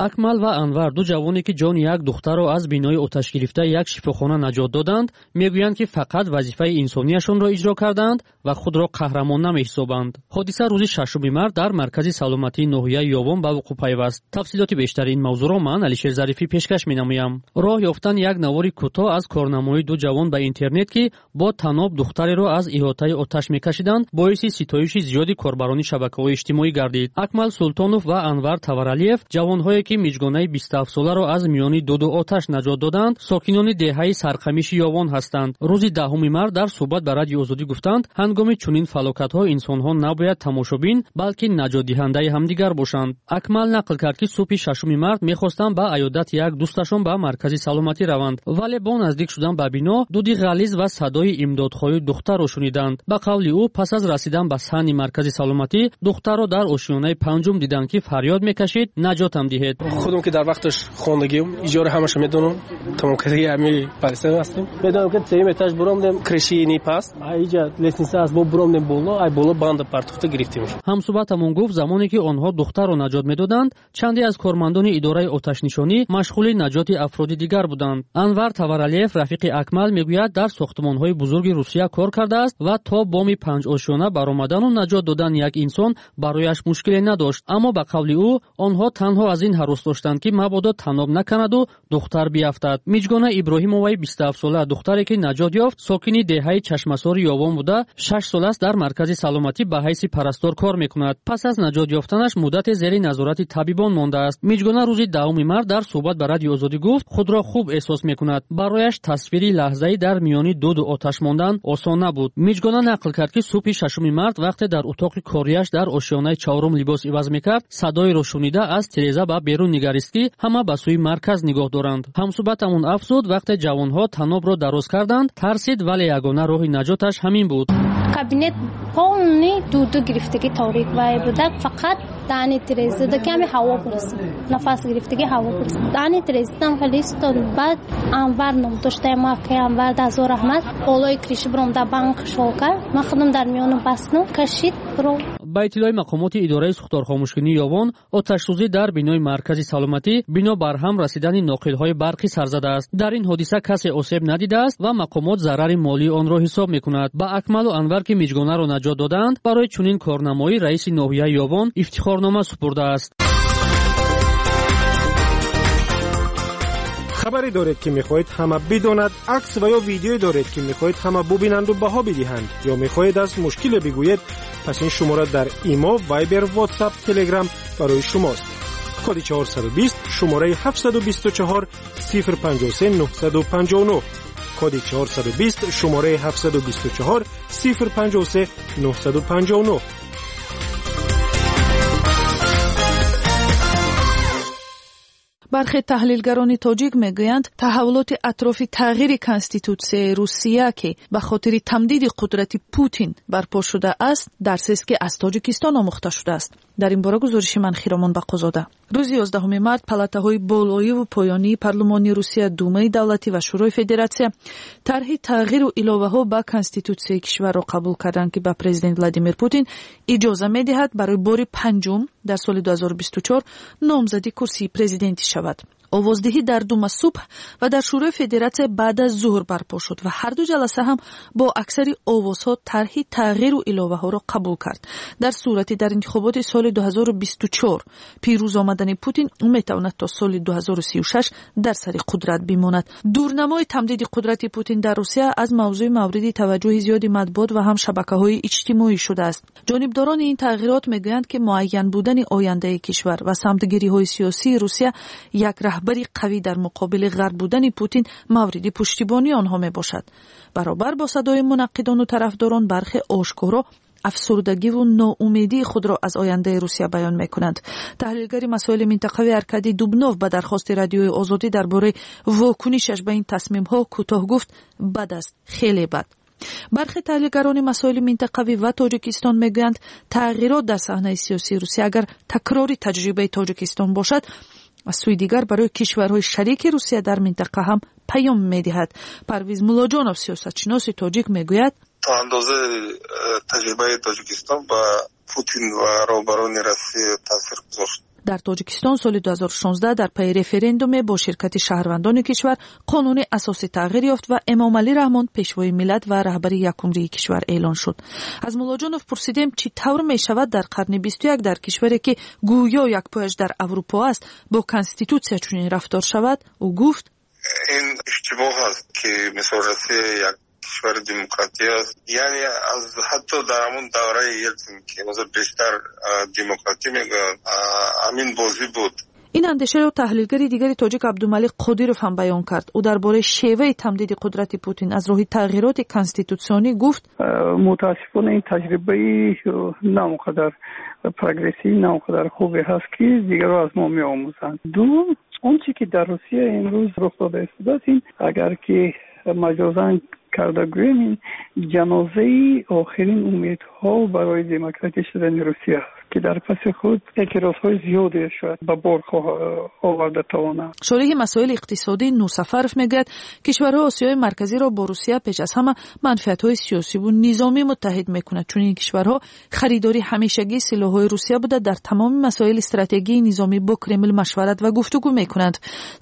Акмал ва Анвар, ду ҷавоне, ки ҷони як духтарро аз бинои оташгирифтаи як шифохона наҷот доданд, мегӯянд, ки фақат вазифаи инсонияшонро иҷро кардаанд ва худро қаҳрамон намеҳисобанд. Ҳодиса рӯзи 6 март дар маркази саломатии ноҳияи Ёвон ба вуқӯъ пайваст. Тафсилоти бештари ин мавзӯъро ман, Алишер Зарифӣ, пешкаш менамоям. Роҳ ёфтан як навори кӯтоҳ аз корнамоии ду ҷавон ба интернет, ки бо таноб духтареро аз иҳотаи оташ мекашиданд, боиси ситоиши зиёди корбарони шабакаҳои иҷтимоӣ гардид. Акмал Султонов ва Анвар Таваралиев, ҷавонҳое, ки миҷгонаи 27-соларо аз миёни дуду оташ наҷот доданд, сокинони деҳаи Сарқамиши Ёвон ҳастанд. Рӯзи 10 март дар суҳбат ба Радиои Озодӣ гуфтанд, ҳангоми чунин фалокатҳо инсонҳо набояд тамошобин, балки наҷотдиҳандаи ҳамдигар бошанд. Акмал нақл кард, ки субҳи 6 март мехостанд ба аёдати як дӯсташон ба маркази саломатӣ раванд, вале бо наздик шудан ба бино дуди ғализ ва садои имдодхоҳии духтарро шуниданд. Ба қавли ӯ, пас аз расидан ба саҳни маркази саломатӣ духтарро дар ошёнаи панҷум диданд, ки фарёд мекашид: «Наҷотам диҳед». Худам ки дар вақташ хондагиам, иҷора ҳамаша медонам, тамом кардагӣ ҳами париста ҳастем. Медонам, ки сеюм этаж буромдем, крыши ни паст, иҷа лестница аст, бо буромдем боло, ай боло банда партохта гирифтем. Ҳамсуҳбатамон гуфт, замоне ки онҳо духтарро наҷот медоданд, чанде аз кормандони идораи оташнишонӣ машғули наҷоти афроди дигар буданд. Анвар Таваралиев, рафиқи Акмал, мегӯяд, дар сохтмонҳои бузурги Русия кор кардааст ва то боми панҷ ошёна баромадану наҷот додани як инсон барояш мушкиле надошт. Аммо, ба қавли ӯ, онҳо танҳо аз ин ҳарос доштанд, ки мабодо таноб наканаду духтар биафтад. Миҷгона Иброҳимоваи 27-сола, духтаре, ки наҷот ёфт, сокини деҳаи Чашмасори Ёвон буда, 6 сол аст дар маркази саломатӣ ба ҳайси парастор кор мекунад. Пас аз наҷот ёфтанаш муддате зери назорати табибон мондааст. Миҷгона рӯзи 10 март дар суҳбат ба Радиои Озодӣ гуфт, худро хуб эҳсос мекунад. Барояш тасвири лаҳзаи дар миёни дуду оташ мондан осон набуд. Миҷгона нақл кард, ки субҳи 6 март, вақте дар утоқи кориаш дар ошёнаи чаҳорум либос иваз мекард, садоеро шунида, аз тиреза ба берун нигарист, ки ҳама ба сӯи марказ нигоҳ доранд. Ҳамсуҳбатамон афзуд, вақте ҷавонҳо танобро дароз карданд, тарсид, вале ягона роҳи наҷоташ ҳамин буд. Кабинет полный дуду гирифтагӣ, торик вай буда, фақат даҳни тирезада ками ҳаво бурсид, нафас гирифтагӣ ҳаво бурсид. Даҳни тирезадам хеле истод. Баъд Анвар ном доштаем, акай Анвар, дазор раҳмат, болои крыша биромда, банк шол кард. Ман худам дар миёну бастну кашид биром. Ба иттилои мақомоти идораи сӯхторхомӯшкунии Ёвон, оташсӯзӣ дар бинои маркази саломатӣ бино бар ҳам расидани ноқилҳои барқӣ сар задааст. Дар ин ҳодиса касе осеб надидааст ва мақомот зарари молии онро ҳисоб мекунад. Ба Акмалу Анвар, ки миҷгонаро наҷот додаанд, барои чунин корнамоӣ раиси ноҳияи Ёвон ифтихорнома супурдааст. Хабаре доред, ки мехоҳед ҳама бидонад, акс ва ё видеое доред, ки мехоҳед ҳама бубинанду баҳо бидиҳанд, ё мехоҳед аз мушкиле бигӯед? Пас ин шумора дар Имо, Вайбер, Ватсап, Телеграм барои шумост. Коди 420, шумораи 724 053 959. Коди 420, шумораи 724 053 959. Бархе таҳлилгарони тоҷик мегӯянд, таҳаввулоти атрофи тағйири конститутсияи Русия, ки ба хотири тамдиди қудрати Путин барпо шудааст, дарсест, ки аз Тоҷикистон омӯхта шудааст. Дар ин бора гузориши ман Хиромон Бақозода. Рӯзи 11 март палатаҳои болоиву поёнии парлумони Русия, Думаи давлатӣ ва Шӯрои Федератсия, тарҳи тағйиру иловаҳо ба конститутсияи кишварро қабул карданд, ки ба президент Владимир Путин иҷоза медиҳад барои бори панҷум дар соли 2024 номзади курсии президентӣ шавад. Овоздиҳӣ дар Дума субҳ ва дар Шӯрои Федератсия баъд аз зуҳр барпо шуд ва ҳарду ҷаласа ҳам бо аксари овозҳо тарҳи тағйиру иловаҳоро қабул кард. Дар сурати дар интихоботи соли 2024 пирӯз омадани Путин, ӯ метавонад то соли 2036 дар сари қудрат бимонад. Дурнамои тамдиди қудрати Путин дар Русия аз мавзӯи мавриди таваҷҷӯҳи зиёди матбуот ва ҳам шабакаҳои иҷтимоӣ шудааст. Ҷонибдорони ин тағйирот мегӯянд, ки муайян будани ояндаи кишвар ва самтгириҳои сиёсии Русия, як раҳбари қавӣ дар муқобили ғарб будани Путин мавриди пуштибонии онҳо мебошад. Баробар бо садои мунаққидону тарафдорон, бархе ошкоро афсурдагиву ноумедии худро аз ояндаи Русия баён мекунанд. Таҳлилгари масоили минтақавӣ Аркадий Дубнов ба дархости Радиои Озодӣ дар бораи вокунишаш ба ин тасмимҳо кӯтоҳ гуфт: «Бад аст, хеле бад». Бархе таҳлилгарони масоили минтақавӣ ва Тоҷикистон мегӯянд, тағйирот дар саҳнаи сиёсии Русия агар такрори таҷрибаи Тоҷикистон бошад, аз сӯи дигар барои кишварҳои шарики Русия дар минтақа ҳам паём медиҳад. Парвиз Муллоҷонов, сиёсатшиноси тоҷик, мегӯяд: То андоза таҷрибаи Тоҷикистон ба Путин ва роҳбарони Россия таъсир гузошт. Дар Тоҷикистон соли 2016 дар пайи референдуме бо ширкати шаҳрвандони кишвар қонуни асосӣ тағйир ёфт ва Эмомалӣ Раҳмон пешвои миллат ва раҳбари якумрии кишвар эълон шуд. Аз Муллоҷонов пурсидем, чӣ тавр мешавад дар қарни 21 дар кишваре ки гӯё як пояш дар Аврупо аст, бо конститутсия чунин рафтор шавад? Ӯ гуфт: Ин иштибоҳ аст, ки мисол Россия як кишвари демократӣ аст. Яъне аз ҳатто дар ҳамон давраи Елтсин, ки ҳозир бештар демократӣ мегӯянд, ҳамин бозӣ буд. Ин андешаро таҳлилгари дигари тоҷик Абдумалик Қодиров ҳам баён кард. Ӯ дар бораи шеваи тамдиди қудрати Путин аз роҳи тағйироти конститутсионӣ гуфт: Мутаассифона, ин таҷрибаи на он қадар прогрессивӣ, на он қадар хубе ҳаст, ки дигарро аз мо меомӯзанд. Дуввум, он чи ки дар Русия имрӯз рух дода истодааст, ин агар ки маҷозан карда гӯем, ин ҷанозаи охирин умедҳо барои демократӣ шудани Русия аст, ки дар паси худ эътирозҳои зиёде шояд ба бор оварда тавонад. Шориҳи масоили иқтисодӣ Нурсафаров мегӯяд, кишварҳои Осиёи Марказиро бо Русия пеш аз ҳама манфиатҳои сиёсиву низомӣ муттаҳид мекунад. Чунин кишварҳо харидори ҳамешагии силоҳҳои Русия буда, дар тамоми масоили стратегии низомӣ бо Кремл машварат ва гуфтугӯ мекунанд.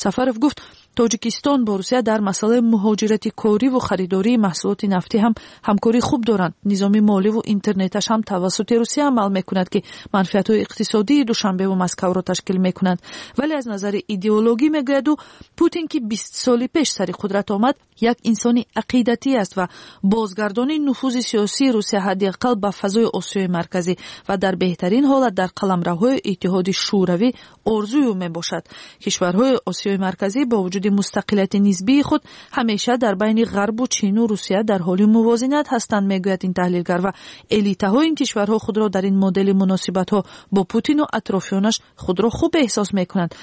Сафаров гуфт, Тоҷикистон бо Русия дар масъалаи муҳоҷирати кориву харидории маҳсулоти нафтӣ ҳам ҳамкории хуб доранд. Низоми моливу интернеташ ҳам тавассути Русия амал мекунад, ки манфиатҳои иқтисодии Душанбеву Москавро ташкил мекунанд. Вале аз назари идеологӣ, мегӯяд ӯ, Путин, ки 20 соли пеш сари қудрат омад, як инсони ақидатӣ аст ва бозгардонии нуфузи сиёсии Русия ҳадди ақал ба фазои Осиёи Марказӣ ва дар беҳтарин ҳолат дар қаламравҳои Иттиҳоди Шӯравӣ орзуи ӯ мебошад. Кишварҳои Осиёи Марказӣ бо вуҷуди мустақилияти нисбии худ ҳамеша дар байни Ғарбу Чину Русия дар ҳоли мувозинат ҳастанд, мегӯяд ин таҳлилгар, ва элитаҳои ин кишварҳо худро дар ин модели муносибатҳо бо Путину атрофиёнаш худро хуб эҳсос мекунанд.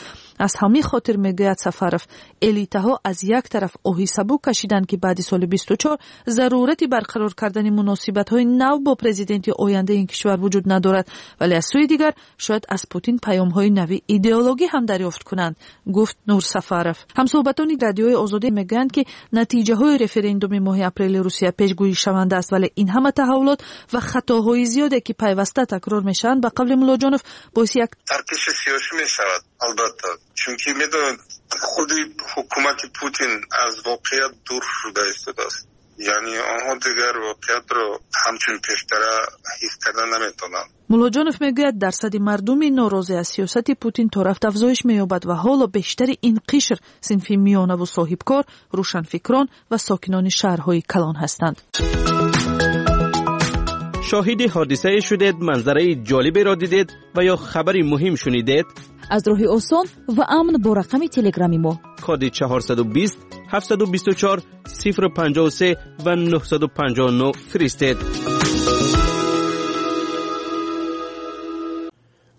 Аз ҳамин хотир, мегӯяд Сафаров, элитаҳо аз як тараф оҳи сабук кашиданд, ки баъди соли 24 зарурати барқарор кардани муносибатҳои нав бо президенти ояндаи ин кишвар вуҷуд надорад, вале аз сӯи дигар шояд аз Путин паёмҳои нави идеологӣ ҳам дарёфт кунанд, гуфт Нурсафаров. Ҳамсӯҳбатони Радиои Озодӣ мегӯянд, ки натиҷаҳои референдуми моҳи апрели Русия пешгӯишаванда аст, вале ин ҳама таҳаввулот ва хатоҳои зиёде, ки пайваста такрор мешаванд, ба қавли Муллоҷонов, боиси як таркиши сиёсӣ мешавад, албатта, чунки медонед, худи ҳукумати Путин аз воқеият дур шуда истодааст. Яъне онҳо дигар воқеиятро ҳамчун пештара ҳис карда наметавонанд. Муллоҷонов мегӯяд, дарсади мардуми норозӣ аз сиёсати Путин то рафт афзоиш меёбад ва ҳоло бештари ин қишр синфи миёнаву соҳибкор, рӯшанфикрон ва сокинони шаҳрҳои калон ҳастанд. Шоҳиди ҳодисае шудед, манзараи ҷолиберо дидед ва ё хабари муҳим шунидед? Аз роҳи осон ва амн бо рақами телеграми мо коди 420 724 053 ва 959 фиристед.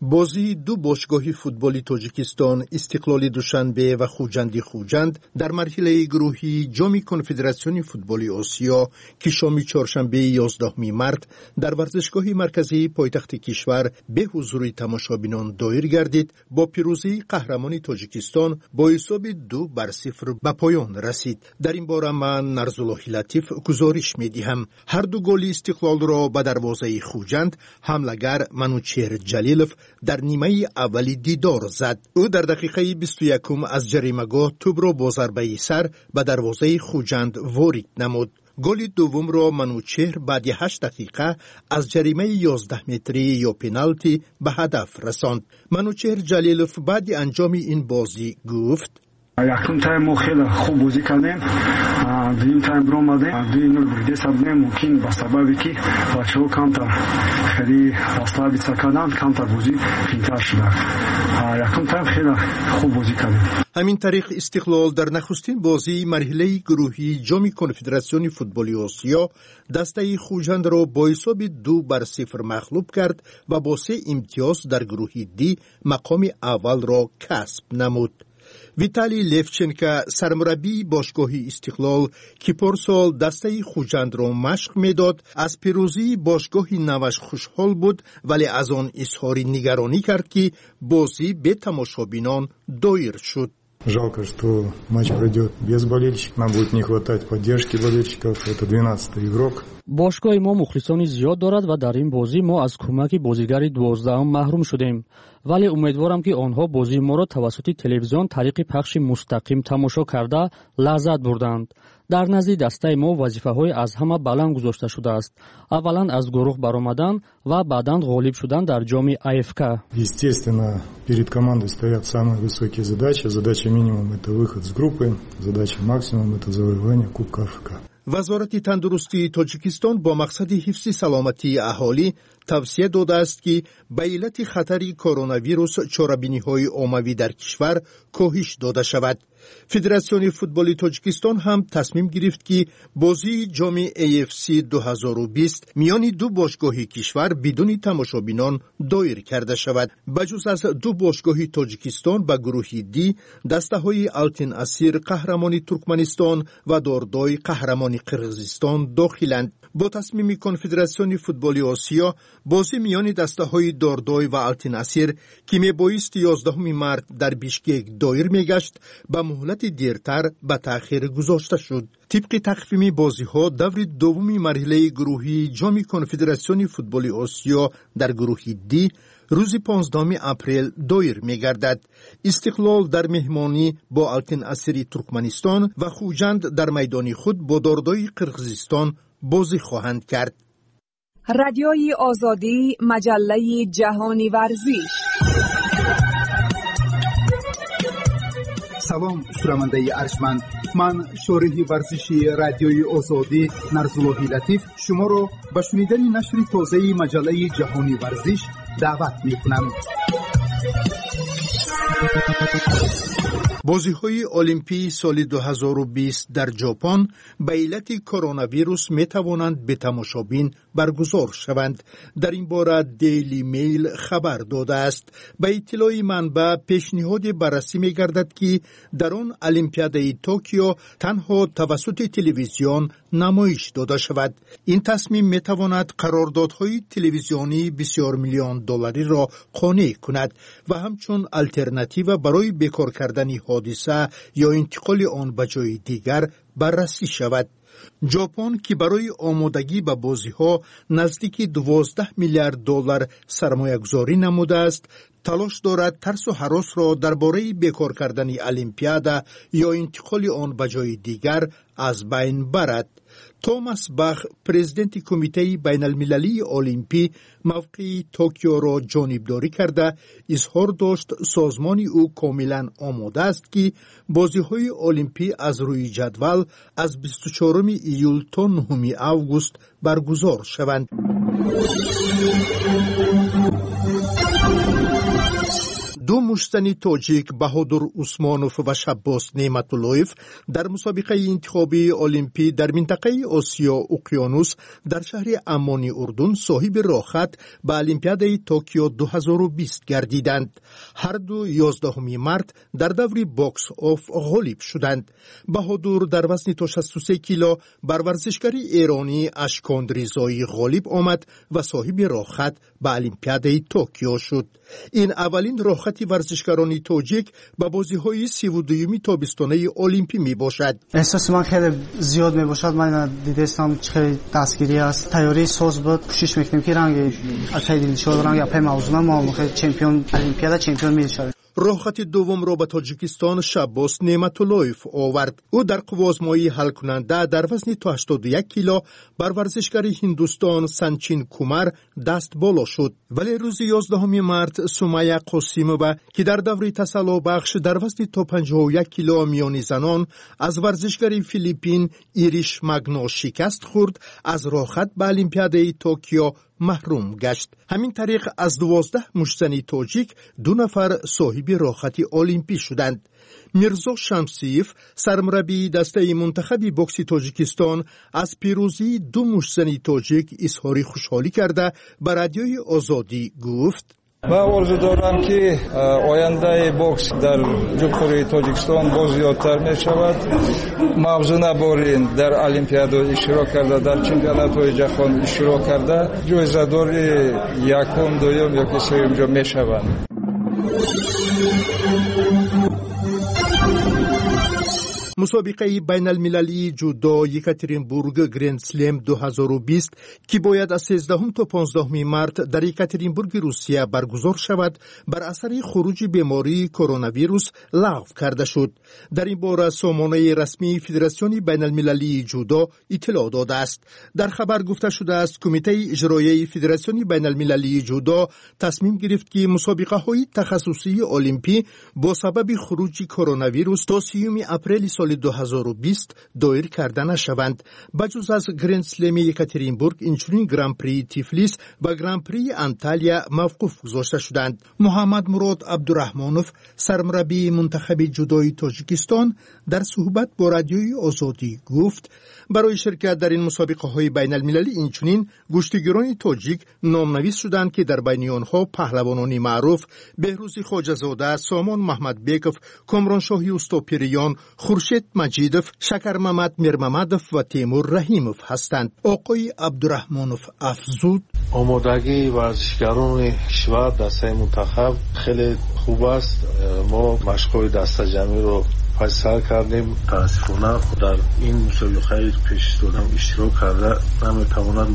Бозии ду бошгоҳи футболи Тоҷикистон, Истиқлоли Душанбе ва Хуҷанди Хуҷанд, дар марҳилаи гурӯҳии Ҷоми Конфедератсиони футболи Осиё, ки шоми чоршанбеи 11 март дар варзишгоҳи марказии пойтахти кишвар бе ҳузури тамошобинон доир гардид, бо пирӯзии қаҳрамони Тоҷикистон бо ҳисоби 2 бар 0 ба поён расид. Дар ин бора ман, Нарзуллоҳи Латиф, гузориш медиҳам. Ҳарду голи Истиқлолро ба дарвозаи Хуҷанд ҳамлагар Манучеҳр Ҷалилов дар нимаи аввали дидор зад. Ӯ дар дақиқаи 21-ум аз ҷаримагоҳ тӯбро бо зарбаи сар ба дарвозаи Хуҷанд ворид намуд. Голи дуввумро Манучеҳр баъди 8 дақиқа аз ҷаримаи 11 метрӣ ё пеналти ба ҳадаф расонд. Манучеҳр Ҷалилов баъди анҷоми ин бозӣ гуфт: Якум тайм мо хеле хуб бозӣ кардем. Дуюм тайм биромадем, 2-0 бурдеса будем. Мумкин, ба сабабе ки бачаҳо камтар хеле расслабиться карданд, камтар бозӣ қиинтар шуда. Якум тайм хеле хуб бозӣ кардем. Ҳамин тариқ, Истиқлол дар нахустин бозии марҳилаи гурӯҳии Ҷоми Конфедератсиони футболи Осиё дастаи Хуҷандро бо ҳисоби 2 бар 0 мағлуб кард ва бо се имтиёз дар гурӯҳи Д мақоми аввалро касб намуд. Виталий Левченко, сармураббии бошгоҳи Истиқлол, ки порсол дастаи Хуҷандро машқ медод, аз пирӯзии бошгоҳи наваш хушҳол буд, вале аз он изҳори нигаронӣ кард, ки бозӣ бе тамошобинон доир шуд. Жалко, что матч пройдет без болельщиков. Нам будет не хватать поддержки болельщиков. Это 12-й игрок. Бошгоҳи мо мухлисони зиёд дорад ва дар ин бозӣ мо аз кӯмаки бозигари 12-ум маҳрум шудем. Вале умедворам, ки онҳо бозии моро тавассути телевизион тариқи пахши мустақим тамошо карда лаззат бурданд. Дар назди дастаи мо вазифаҳои аз ҳама баланд гузошта шудааст. Аввалан аз гурӯҳ баромадан ва баъдан ғолиб шудан дар ҷоми АФК. Естественно, перед командой стоят самые высокие задачи. Задача минимум – это выход с группы, задача максимум – это завоевание Кубка АФК. Вазорати тандурустии Тоҷикистон бо мақсади ҳифзи саломатии аҳолӣ тавсия додааст, ки ба иллати хатари коронавирус чорабиниҳои оммавӣ дар кишвар коҳиш дода шавад. Федератсиони футболи Тоҷикистон ҳам тасмим гирифт, ки бозии ҷоми AFC 2020 миёни ду бошгоҳи кишвар бидуни тамошобинон доир карда шавад. Ба ҷуз аз ду бошгоҳи Тоҷикистон ба гурӯҳи Д дастаҳои Алтин Асир, қаҳрамони Туркманистон, ва Дордой, қаҳрамони Қирғизистон, дохиланд. Бо тасмими Конфедератсиони футболи Осиё бозӣ миёни дастаҳои Дордой ва Алтин Асир, ки мебоист 11 март дар Бишкек доир мегашт, ба муҳлати дертар ба таъхир гузошта шуд. Тибқи тақвими бозиҳо, даври дуввуми марҳилаи гурӯҳии ҷоми Конфедератсиони футболи Осиё дар гурӯҳи Д рӯзи 15 апрел доир мегардад. Истиқлол дар меҳмонӣ бо Алтин Асири Туркманистон ва Хуҷанд дар майдони худ бо Дордои Қирғизистон бозӣ хоҳанд кард. Радиои Озодӣ, маҷаллаи ҷаҳони варзиш. Салом, шунавандаи арҷманд. Ман, шориҳи варзиши Радиои Озодӣ Нарзуллоҳи Латиф, шуморо ба шунидани нашри тозаи маҷаллаи ҷаҳони варзиш даъват мекунам. Бозиҳои Олимпии соли 2020 дар Ҷопон ба иллати коронавирус метавонанд бетамошобин баргузор шаванд. Дар ин бора Дейли Мейл хабар додааст. Ба иттилои манбаъ, пешниҳоде баррасӣ мегардад, ки дар он Олимпиадаи Токио танҳо тавассути телевизион намоиш дода шавад. Ин тасмим метавонад қарордодҳои телевизионии бисёрмиллион доллариро қонеъ кунад ва ҳамчун алтернатива барои бекор кардани ҳодиса ё интиқоли он ба ҷои дигар баррасӣ шавад. Ҷопон, ки барои омодагӣ ба бозиҳо наздики 12 миллиард доллар сармоягузорӣ намудааст, талош дорад тарсу ҳаросро дар бораи бекор кардани Олимпиада ё интиқоли он ба ҷои дигар аз байн барад. Томас Бах, президенти Кумитаи байналмилалии олимпӣ, мавқеи Токиоро ҷонибдорӣ карда, изҳор дошт, созмони ӯ комилан омода аст, ки бозиҳои олимпӣ аз рӯи ҷадвал аз 24 июл то 9 август баргузор шаванд. Ду муштзани тоҷик, Баҳодур Усмонов ва Шаббос Неъматуллоев, дар мусобиқаи интихобии олимпӣ дар минтақаи Осиё Уқёнус дар шаҳри Аммони Урдун соҳиби роҳхат ба Олимпиадаи Токио 2020 гардиданд. Ҳарду 11 март дар даври бокс оф ғолиб шуданд. Баҳодур дар вазни то 63 кило бар варзишгари эронӣ Ашкон Ризоӣ ғолиб омад ва соҳиби роҳхат ба Олимпиадаи Токио шуд. Ин аввалин роҳхати варзишгарони тоҷик ба бозиҳои 32-юми тобистонаи олимпӣ мебошад. Эҳсоси ман хеле зиёд мебошад. Ман дидастам, чӣ хеле дастгирӣ аст, тайёрии соз буд. Кӯшиш мекунем, ки ранги акаи Дилшод, ранги апаи Мавзуна мо чемпион олимпиада, чемпион мешавем. Роҳхати дуввумро ба Тоҷикистон Шаббос Неъматуллоев овард. Ӯ дар қувваозмоии ҳалкунанда дар вазни то 81 кило бар варзишгари Ҳиндустон Санчин Кумар даст боло шуд. Вале рӯзи 11 март Сумая Қосимова, ки дар даври тасаллобахш дар вазни то 51 кило миёни занон аз варзишгари Филиппин Ириш Магно шикаст хӯрд, аз роҳхат ба Олимпиадаи Токио маҳрум гашт. Ҳамин тариқ, аз 12 муштзани тоҷик ду нафар соҳиби роҳхати олимпӣ шуданд. Мирзо Шамсиев, сармураббии дастаи мунтахаби бокси Тоҷикистон, аз пирӯзии ду муштзани тоҷик изҳори хушҳолӣ карда, ба Радиои Озодӣ гуфт: Ман орзу дорам, ки ояндаи бокс дар Ҷумҳурии Тоҷикистон боз зиёдтар мешавад. Мавзуна Борин дар олимпиада иштирок карда, дар чемпионатҳои ҷаҳон иштирок карда, ҷоизадори якум, дуюм ёки сеюм ҷо мешаванд. Мусобиқаи байналмилалии ҷудо Екатеринбург Грендслем 2020, ки бояд аз 13 то 15 март дар Екатеринбурги Русия баргузор шавад, бар асари хуруҷи бемории коронавирус лағв карда шуд. Дар ин бора сомонаи расмии Федератсиони байналмилалии ҷудо иттилоъ додааст. Дар хабар гуфта шудааст, Кумитаи иҷроияи Федератсиони байналмилалии ҷудо тасмим гирифт, ки мусобиқаҳои тахассусии олимпӣ бо сабаби хуруҷи коронавирус то 30 апрели соли 2020 доир карда нашаванд. Ба ҷуз аз Грендслеми Екатеринбург, инчунин Гран-прии Тифлис ва Гран-прии Анталия мавқуф гузошта шуданд. Муҳаммад Мурод Абдураҳмонов, сармураббии мунтахаби ҷудои Тоҷикистон, дар суҳбат бо Радиои Озодӣ гуфт, барои ширкат дар ин мусобиқаҳои байналмилалӣ инчунин гӯштигирони тоҷик номнавис шуданд, ки дар байни онҳо паҳлавонони маъруф Беҳрӯзи Хоҷазода, Сомон Маҳмадбеков, Комроншоҳи Устопириён, Хуршед Маҷидов, Шакармамад Мирмамадов ва Темур Раҳимов ҳастанд. Оқои Абдураҳмонов афзуд: омодагии варзишгарони кишвар, дастаи мунтахаб хеле хуб аст. Мо машқҳои дастаҷамъиро пас сар кардем. Мутаассифона, дар ин мусобиқаи пешистодам иштирок карда наметавонад.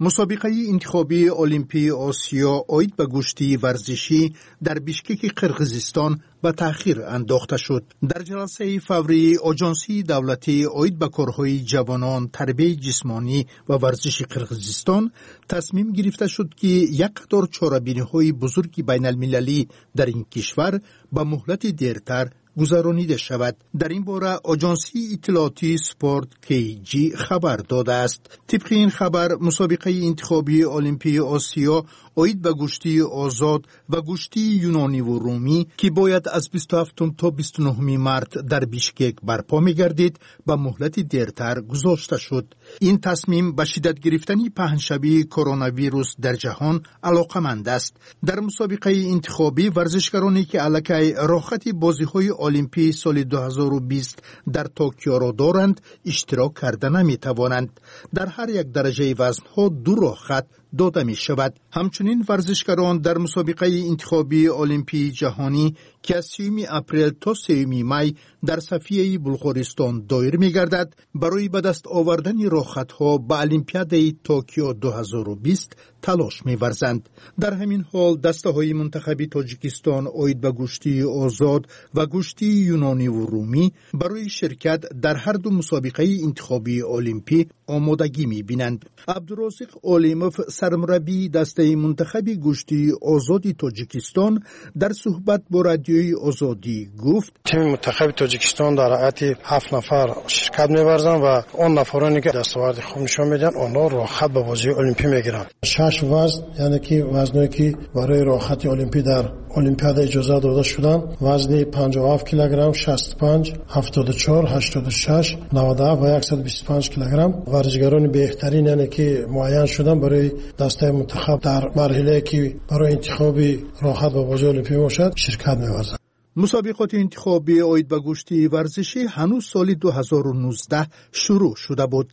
Мусобиқаи интихобии Олимпии Осиё оид ба гӯштии варзишӣ дар Бишкеки Қирғизистон ба таъхир андохта шуд. Дар ҷаласаи фаврии Оҷонсии давлатӣ оид ба корҳои ҷавонон, тарбияи ҷисмонӣ ва варзиши Қирғизистон тасмим гирифта шуд, ки як қатор чорабиниҳои бузурги байналмилалӣ дар ин кишвар ба муҳлати дертар гузаронида шавад. Дар ин бора Оҷонсии иттилоотии Спорт KG хабар додааст. Тибқи ин хабар, мусобиқаи интихобии Олимпии Осиё оид ба гӯштии озод ва гӯштии юнониву румӣ, ки бояд аз 27 то 29 март дар Бишкек барпо мегардид, ба муҳлати дертар гузошта шуд. Ин тасмим ба шиддат гирифтани паҳншавии коронавирус дар ҷаҳон алоқаманд аст. Дар мусобиқаи интихобӣ варзишгароне, ки аллакай роҳхати бозиҳои Олимпии соли 2020 дар Токиоро доранд, иштирок карда наметавонанд. Дар ҳар як дараҷаи вазнҳо ду роҳхат дода мешавад. Ҳамчунин варзишгарон дар мусобиқаи интихобии Олимпии ҷаҳонӣ, ки аз 30 апрел то 3 май дар Софияи Булғористон доир мегардад, барои ба даст овардани роҳхатҳо ба Олимпиадаи Токио 2020 талош меварзанд. Дар ҳамин ҳол дастаҳои мунтахаби Тоҷикистон оид ба гӯштии озод ва гӯштии юнониву румӣ барои ширкат дар ҳар ду мусобиқаи интихобии олимпӣ омодагӣ мебинанд. Абдурозиқ Олимов, сармураббии дастаи мунтахаби гӯштии озоди Тоҷикистон, дар суҳбат бо Радиои Озодӣ гуфт: Тими мунтахаби Тоҷикистон дар ҳайати 7 нафар ширкат меварзанд ва он нафароне, ки дастоварди хуб нишон медиҳанд, онҳо роҳхат ба бозии олимпӣ мегиранд. 6 вазн, яъне ки вазное, ки барои роҳхати олимпӣ дар Олимпиада иҷоза дода шуданд, вазни 57 килограмм, 65, 74, 86, 97 ва 125 килограмм. Варзишгарони беҳтарин, яъне ки муайян шуданд барои дастаи мунтахаб дар марҳилае, ки барои интихоби роҳхат ба бозии олимпӣ бошад, ширкат меварзанд. Мусобиқоти интихобӣ оид ба гӯштии варзишӣ ҳанӯз соли 2019 шурӯъ шуда буд.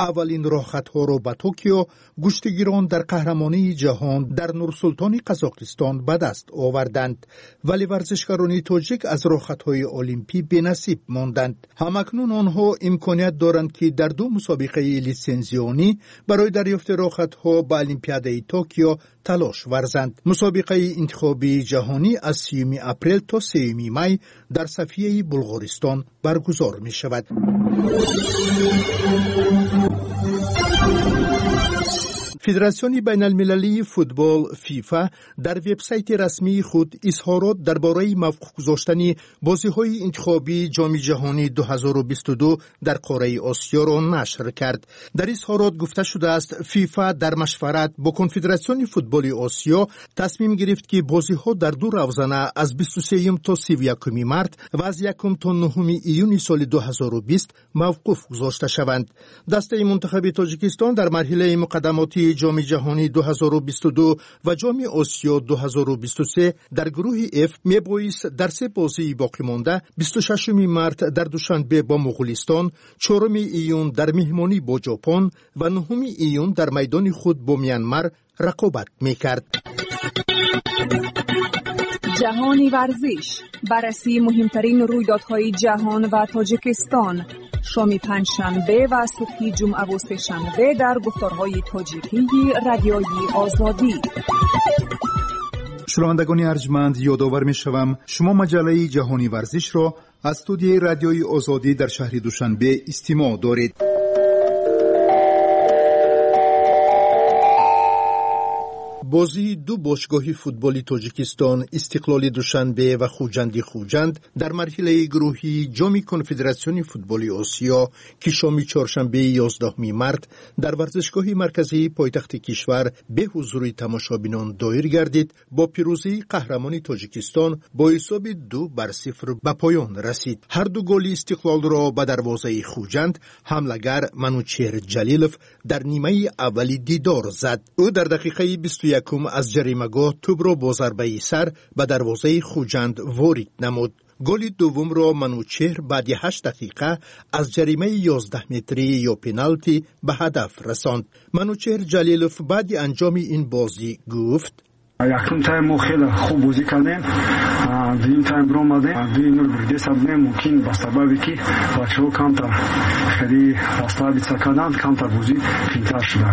Аввалин роҳхатҳоро ба Токио гӯштигирон дар қаҳрамонии ҷаҳон дар Нурсултони Қазоқистон ба даст оварданд, вале варзишгарони тоҷик аз роҳхатҳои олимпӣ бенасиб монданд. Ҳамакнун онҳо имконият доранд, ки дар ду мусобиқаи литсензионӣ барои дарёфти роҳхатҳо ба Олимпиадаи Токио талош варзанд. Мусобиқаи интихобии ҷаҳонӣ аз 30 апрел то 3 май дар Софияи Булғористон баргузор мешавад. Федератсиони байналмилалии футбол ФИФА дар вебсайти расмии худ изҳорот дар бораи мавқуф гузоштани бозиҳои интихобии Ҷоми ҷаҳонӣ 2022 дар қораи Осиёро нашр кард. Дар изҳорот гуфта шудааст, ФИФА дар машварат бо Конфедератсиони футболи Осиё тасмим гирифт, ки бозиҳо дар ду равзана аз 23 то 31 март ва аз 1 то 9 июни соли 2020 мавқуф гузошта шаванд. Дастаи мунтахаби Тоҷикистон дар марҳилаи муқаддамотии Ҷоми ҷаҳонӣ 2022 ва Ҷоми Осиё 2023 дар гурӯҳи Ф мебоист дар се бозии боқимонда 26 март дар Душанбе бо Муғулистон, 4 июн дар меҳмонӣ бо Ҷопон ва 9 июн дар майдони худ бо Мянмар рақобат мекард. Ҷаҳони варзиш, баррасии муҳимтарин рӯйдодҳои ҷаҳон ва Тоҷикистон. Шоми панҷшанбе ва субҳи ҷумъаву сешанбе дар гуфторҳои тоҷикии Радиои Озодӣ. Шунавандагони арҷманд, ёдовар мешавам, шумо маҷаллаи Ҷаҳони варзишро аз студияи Радиои Озодӣ дар шаҳри Душанбе истимоъ доред. Бозии ду бошгоҳи футболи Тоҷикистон, Истиқлоли Душанбе ва Хуҷанди Хуҷанд, дар марҳилаи гурӯҳии Ҷоми Конфедератсиони футболи Осиё, ки шоми чоршанбеи 11 март дар варзишгоҳи марказии пойтахти кишвар бе ҳузури тамошобинон доир гардид, бо пирӯзии қаҳрамони Тоҷикистон бо ҳисоби 2-0 ба поён расид. Ҳарду голи Истиқлолро ба дарвозаи Хуҷанд ҳамлагар Манучеҳр Ҷалилов дар нимаи аввали дидор зад. Ӯ дар дақиқаи 21 аз ҷаримагоҳ тӯбро бо зарбаи сар ба дарвозаи Хуҷанд ворид намуд. Голи дуввумро Манучеҳр баъди 8 дақиқа аз ҷаримаи 11 метрӣ ё пеналти ба ҳадаф расонд. Манучеҳр Ҷалилов баъди анҷоми ин бозӣ гуфт: Якум тайм мо хеле хуб бозӣ кардем, дуюм тайм биромадем, 2-0 бурдеса будем. Мумкин ба сабабе ки бачаҳо камтар хеле расслабиться карданд, камтар бозӣ қиинтар шуда.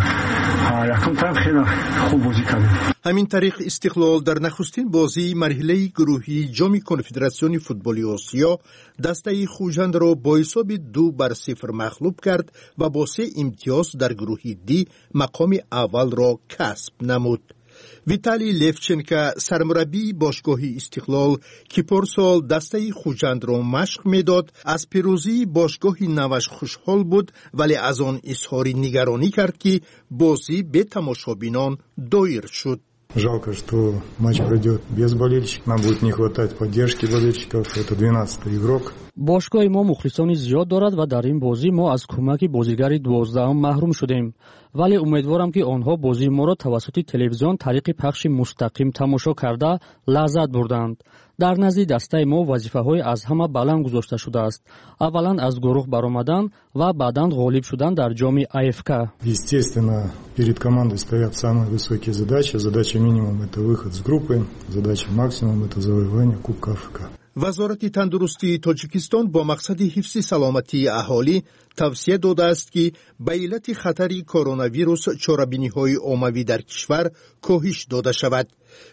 Якум тайм хеле хуб бозӣ кардем. Ҳамин тариқ, Истиқлол дар нахустин бозии марҳилаи гурӯҳии Ҷоми Конфедератсиони футболи Осиё дастаи Хуҷандро бо ҳисоби 2-0 мағлуб кард ва бо се имтиёз дар гурӯҳи Ди мақоми аввалро касб намуд. Виталий Левченко, сармураббии бошгоҳи Истиқлол, ки порсол дастаи Хуҷандро машқ медод, аз пирӯзии бошгоҳи наваш хушҳол буд, вале аз он изҳори нигаронӣ кард, ки бозӣ бе тамошобинон доир шуд. Жалко, что матч пройдет без болельщиков. Нам будет не хватать поддержки болельщиков. Это 12-й игрок. Бошгоҳи мо мухлисони зиёд дорад ва дар ин бозӣ мо аз кӯмаки бозигари 12-ум маҳрум шудем, вале умедворам, ки онҳо бозии моро тавассути телевизион тариқи пахши мустақим тамошо карда лаззат бурданд. Дар назди дастаи мо вазифаҳои аз ҳама баланд гузошта шудааст: аввалан, аз гурӯҳ баромадан ва баъдан ғолиб шудан дар ҷоми АФК. Естественно, перед командой стоят самые высокие задачи. Задача минимум – это выход с группы, задача максимум – это завоевание Кубка АФК. Вазорати тандурустии Тоҷикистон бо мақсади ҳифзи саломатии аҳолӣ тавсия додааст, ки ба иллати хатари коронавирус чорабиниҳои оммавӣ дар кишвар коҳиш дода шавад.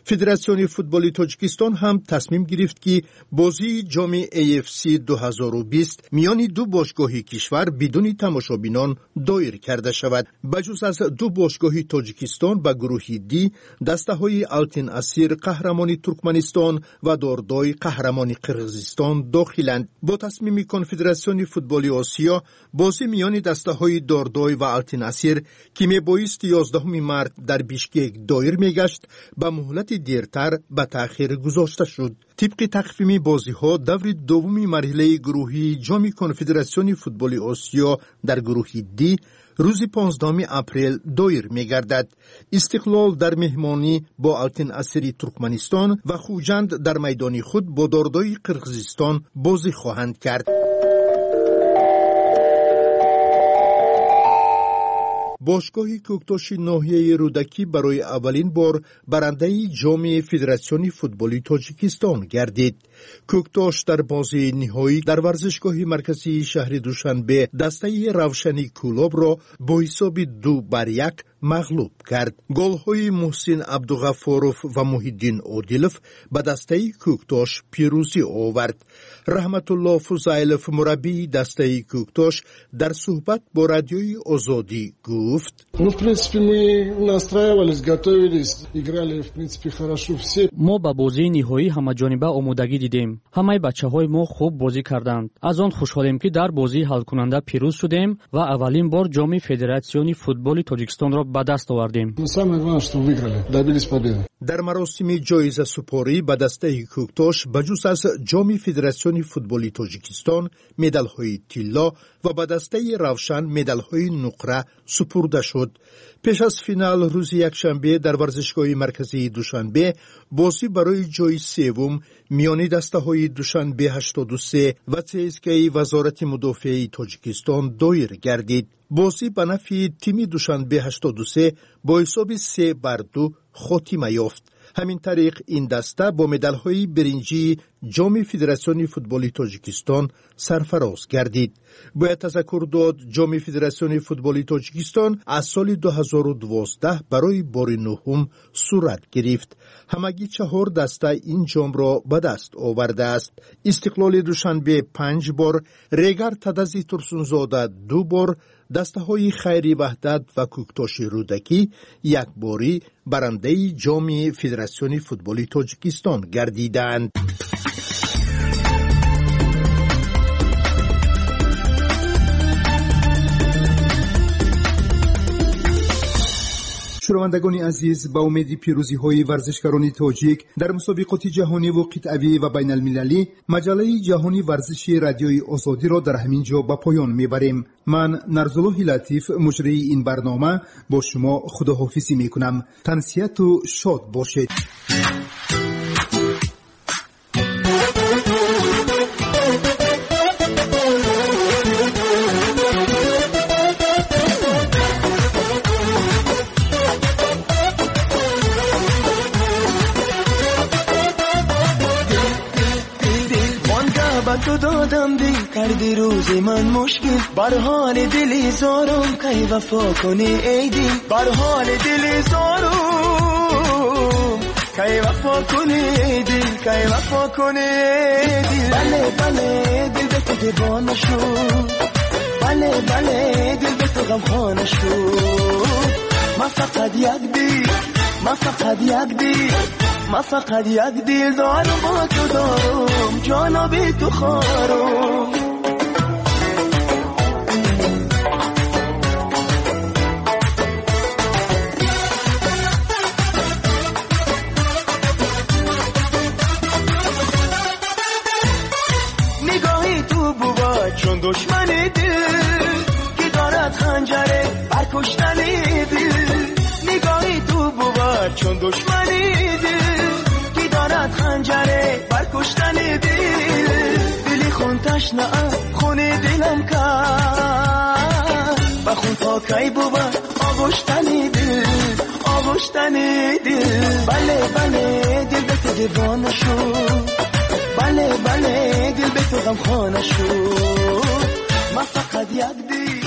Федератсиони футболи Тоҷикистон ҳам тасмим гирифт, ки бозии ҷоми AFC 2020 миёни ду бошгоҳи кишвар бидуни тамошобинон доир карда шавад. Ба ҷуз аз ду бошгоҳи Тоҷикистон, ба гурӯҳи Ди дастаҳои Алтин Асир, қаҳрамони Туркманистон, ва Дордой, қаҳрамони Қирғизистон, дохиланд. Бо тасмими Конфедератсиони футболи Осиё, бозӣ миёни дастаҳои Дордой ва Алтин Асир, ки мебоист 11 март дар Бишкек доир мегашт, ба муҳлати дертар ба таъхир гузошта шуд. Тибқи тақвими бозиҳо, даври дуввуми марҳилаи гурӯҳии Ҷоми Конфедератсиони футболи Осиё дар гурӯҳи Ди рӯзи 15 апрел доир мегардад. Истиқлол дар меҳмонӣ бо Алтин Асири Туркманистон ва Хуҷанд дар майдони худ бо Дордои Қирғизистон бозӣ хоҳанд кард. Бошгоҳи Кӯктоши ноҳияи Рӯдакӣ барои аввалин бор барандаи Ҷоми Федератсиони футболи Тоҷикистон гардид. Кӯктош дар бозии ниҳоӣ дар варзишгоҳи марказии шаҳри Душанбе дастаи Равшани Кӯлобро бо ҳисоби 2-1 мағлуб кард. Голҳои Муҳсин Абдуғаффоров ва Муҳиддин Одилов ба дастаи Кӯктош пирӯзӣ овард. Раҳматулло Фузайлов, мураббии дастаи Кӯктош, дар суҳбат бо Радиои Озодӣ гуфт: Ну, в принципе, мы настраивались, готовились, играли, в принципе, хорошо все. Мо ба бозии ниҳоӣ ҳамаҷониба омодагӣ дидем. Ҳамаи бачаҳои мо хуб бозӣ карданд. Аз он хушҳолем, ки дар бозии ҳалкунанда пирӯз шудем ва аввалин бор Ҷоми Федератсиони футболи Тоҷикистонро ба даст овардем. Но самое главное, что выиграли, добились победы. Дар маросими ҷоизасупорӣ ба дастаи Кӯктош ба ҷуз аз Ҷоми Федератсиони футболи Тоҷикистон медалҳои тилло ва ба дастаи Равшан медалҳои нуқра супурда шуд. Пеш аз финал рӯзи якшанбе дар варзишгоҳи марказии Душанбе бозӣ барои ҷои севум миёни дастаҳои Душанбе 83 ва ЦСКАи Вазорати мудофиаи Тоҷикистон доир гардид. Бозӣ ба нафъи тими Душанбе 83 бо ҳисоби 3-2 хотима ёфт. Ҳамин тариқ ин даста бо медалҳои биринҷии Ҷоми Федератсиони футболи Тоҷикистон сарфароз гардид. Бояд тазаккур дод, Ҷоми Федератсиони футболи Тоҷикистон аз соли 2012 барои бори нуҳум сурат гирифт. Ҳамагӣ 4 даста ин ҷомро ба даст овардааст. Истиқлоли Душанбе 5 бор, Регар Тадази Турсунзода 2 бор, дастаҳои Хайри Ваҳдат ва Кӯктоши Рӯдакӣ якборӣ барандаи Ҷоми Федератсиони футболи Тоҷикистон гардидаанд. Шунавандагони азиз, ба умеди пирӯзиҳои варзишгарони тоҷик дар мусобиқоти ҷаҳониву қитъавӣ ва байналмилалӣ, маҷаллаи ҷаҳони варзиши Радиои Озодиро дар ҳамин ҷо ба поён мебарем. Ман Нарзуллоҳи Латиф, муҷрии ин барнома, бо шумо худоҳофизӣ мекунам. Тансиҳату шод бошед. تو دادم دل کردی روزی من مشکل، بر حال دلی زارم کی وفا کنی ای دل، بر حال دلی زارم کی وفا کنی ای دل، کی وفا کنی ای دل. بله بله دل به تو دیوانه شد، بله بله دل به تو غمخانه شد. ما فقط یک دل، ما فقط یک دل، ما فقط یک دل دارم با تو دارم، جانا بی تو خارم. نگاهی تو بود چون دشمن دل که دارد خنجره بر کشتن دل. نگاهی تو بود چون دشمن دل که دارد خنجره بر کشتن دل. دلی خون تشنه خون دلم کرد و خون تا کی بود آغشتن دل، آغشتن دل. بله بله دل به تو دیوانه شد، بله بله دل به تو غمخانه شد. ما فقط یک دل.